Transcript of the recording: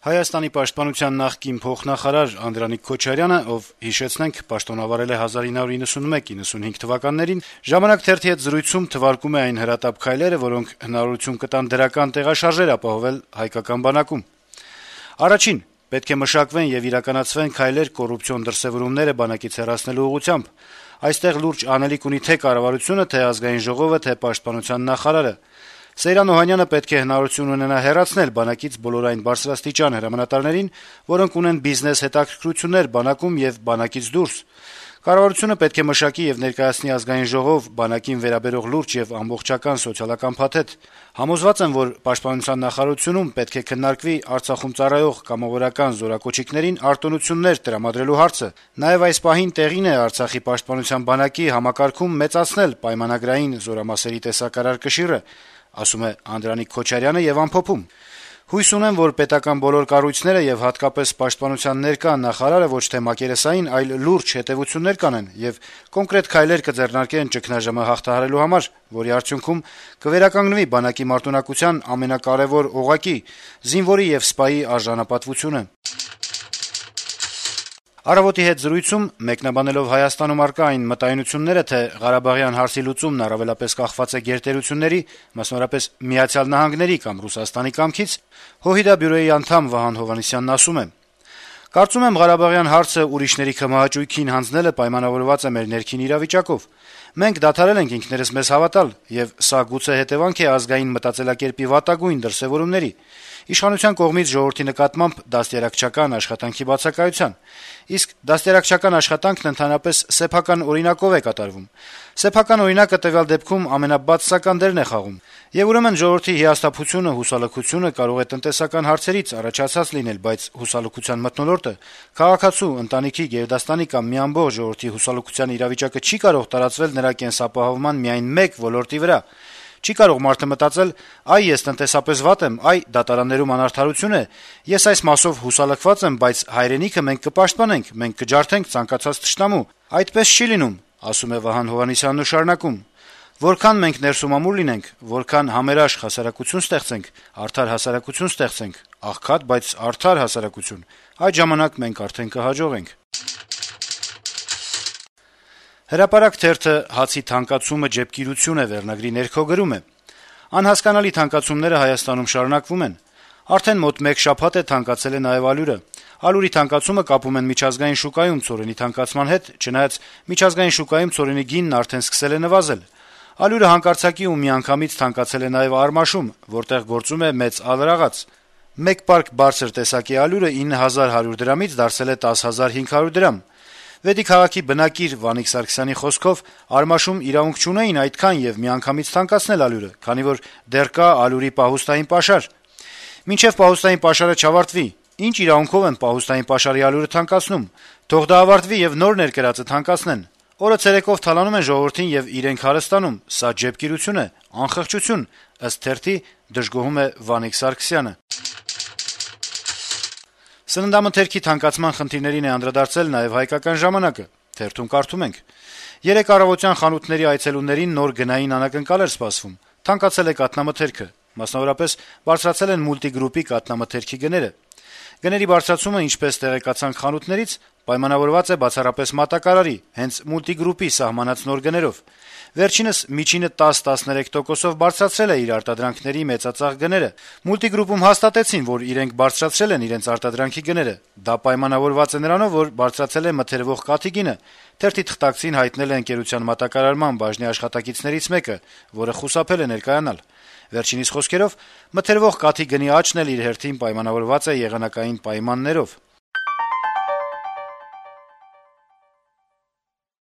Հայաստանի պաշտպանության նախկին փոխնախարար Անդրանիկ Քոչարյանը, ով հիշեցնենք պաշտոնավարել է 1991-95 թվականներին, «Ժամանակ» թերթի հետ զրույցում թվարկում է այն հրատապ քայլերը, որոնք հնարավորություն կտան դրական տեղաշարժեր ապահովել հայկական բանակում. «Առաջին, պետք է մշակվեն եւ իրականացվեն քայլեր կոռուպցիոն դրսեւորումները բանակից հեռացնելու ուղղությամբ: Այստեղ լուրջ անելիք ունի թե կառավարությունը, թե Ազգային ժողովը, թե պաշտպանության նախարարը: Սեյրան Օհանյանը պետք է հնարավորություն ունենա հեռացնել բանակից բոլոր այն բարձրաստիճան հրամանատարներին, որոնք ունեն բիզնես հետաքրքրություններ բանակում եւ բանակից դուրս: Կառավարությունը պետք է մշակի եւ ներկայացնի Ազգային ժողով բանակին վերաբերող լուրջ եւ ամբողջական սոցիալական փաթեթ: Համոզված եմ, որ պաշտպանության նախարարությունում պետք է քննարկվի Արցախում ծառայող կամավորական զորակոչիկներին արտոնություններ տրամադրելու հարցը: Նաեւ այս պահին տեղին է Արցախի պաշտպանության բանակի համակարգում մեծացնել պայմանագրային զորամասերի տեսակարար կշիռը», ասում է Անդրանիկ Քոչարյանը եւ ամփոփում. «Հույս ունեմ, որ պետական բոլոր կառույցները եւ հատկապես պաշտպանության ներկա նախարարը ոչ թե մակերեսային, այլ լուրջ հետեւություններ կանեն եւ կոնկրետ քայլեր կձեռնարկեն ճգնաժամը հաղթահարելու համար, որի արդյունքում կվերականգնվի բանակի մարտունակության ամենակարեւոր օղակի՝ զինվորի եւ սպայի արժանապատվությունը»: «Առավոտ»-ի հետ զրույցում, մեկնաբանելով Հայաստանում առկա այն մտայնությունները, թե Ղարաբաղյան հարցի լուծումն առավելապես կախված է գերտերությունների, մասնավորապես Միացյալ Նահանգների կամ Ռուսաստանի կամքից, ՀՅԴ բյուրոյի անդամ Վահան Հովհաննիսյանն ասում է. «Կարծում եմ, Ղարաբաղյան հարցը ուրիշների քմահաճույքին հանձնելը պայմանավորված է մեր ներքին իրավիճակով: Մենք դադարել ենք ինքներս մեզ հավատալ, եւ սա գուցե հետեւանք է ազգային մտածելակերպի վատագույն դրսեւորումների, իշխանության կողմից ժողովրդի նկատմամբ դաստիարակչական աշխատանքի բացակայության: Իսկ դաստիարակչական աշխատանքն ընդհանրապես սեփական օրինակով է կատարվում: Սեփական օրինակը տվյալ դեպքում ամենաբացասական դերն է խաղում: Եվ ուրեմն ժողովրդի հիասթափությունը, հուսալքությունը կարող է տնտեսական հարցերից առաջացած լինել, բայց հուսալքության մթնոլորտը, քաղաքացու, ընտանիքի, գերդաստանի կամ մի ամբողջ ժողովրդի հուսալքության իրավիճակը չի կարող տարածվել նրա կենսապահովման միայն մեկ ոլորտի վրա: Չի կարող մարդը մտածել՝ այ ես տնտեսապես վատ եմ, այ դատարաններում անարդարություն է, ես այս մասով հուսալքված եմ, բայց հայրենիքը մենք կպաշտպանենք, մենք կջարդենք ցանկացած թշնամու: Այդպես չի լինում», - ասում է Վահան Հովհաննիսյանն ու շարունակում. «Որքան մենք ներսումամուռ լինենք, որքան համերաշխ հասարակություն ստեղծենք, արդար հասարակություն ստեղծենք, աղքատ, բայց արդար հասարակություն, այդ ժամանակ մենք արդեն կհաջողենք»: «Հրապարակ» թերթը «Հացի թանկացումը ջեպկիրություն է» վերնագրի ներքո գրում է. - «Անհասկանալի թանկացումները Հայաստանում շարունակվում են: Արդեն մոտ մեկ շաբաթ է թանկացել է նաեւ ալյուրը: Ալյուրի թանկացումը կապում են միջազգային շուկայում ցորենի թանկացման հետ, չնայած միջազգային շուկայում ցորենի գինն արդեն սկսել է նվազել: Ալյուրը հանկարծակի ու միանգամից թանկացել է նաեւ Արմաշում, որտեղ գործում է մեծ ալրաղաց: Մեկ պարկ բարձր տեսակի ալյուրը 9100 դրամից դարձել է 10500 դրամ: Վեդի քաղաքի բնակիր Վանիկ Սարգսյանի խոսքով, Արմաշում իրավունք չունեին այդքան եւ միանգամից թանկացնել ալյուրը, քանի որ դեռ կա ալյուրի պահուստային պաշար: Մինչեւ պահուստային պաշարը չավարտվի, ինչ իրավունքով են պահուստային պաշարի ալյուրը թանկացնում: Թող դա ավարտվի եւ նոր ներկրածը թանկացնեն: Օրը ցերեկով թալանում են ժողովրդին եւ իրենք հարստանում: Սա ջեպկիրություն է, անխղճություն», - ըստ թերթի դժգոհում է Վանիկ Սարգսյանը: Սննդամթերքի թանկացման խնդիրներին է անդրադարձել նաեւ «Հայկական ժամանակ»-ը: Թերթում կարդում ենք. - «Երեկ առավոտյան խանութների այցելուներին նոր գնային անակնկալ էր սպասվում: Թանկացել է կաթնամթերքը: Մասնավորապես, բարձրացել են մուլտիգրուպի կաթնամթերքի գները: Գների բարձրացումը, ինչպես տեղեկացանք խանութներից, պայմանավորված է բացառապես մատակարարի, հենց մուլտիգրուպի սահմանած նոր գներով: Վերջինս միջինը 10-13%-ով բարձրացրել է իր արտադրանքների մեծածախ գները: Մուլտիգրուպում հաստատեցին, որ իրենք բարձրացրել են իրենց արտադրանքի գները: Դա պայմանավորված է նրանով, որ բարձրացել է մթերվող կաթի գինը», - թերթի թղթակցին հայտնել է ընկերության մատակարարման բաժնի աշխատակիցներից մեկը, որը խուսափել է ներկայանալ: Վերջինիս խոսքերով, մթերվող կաթի գնի աճն էլ իր հերթին պայմանավորված է եղանակային պայմաններով: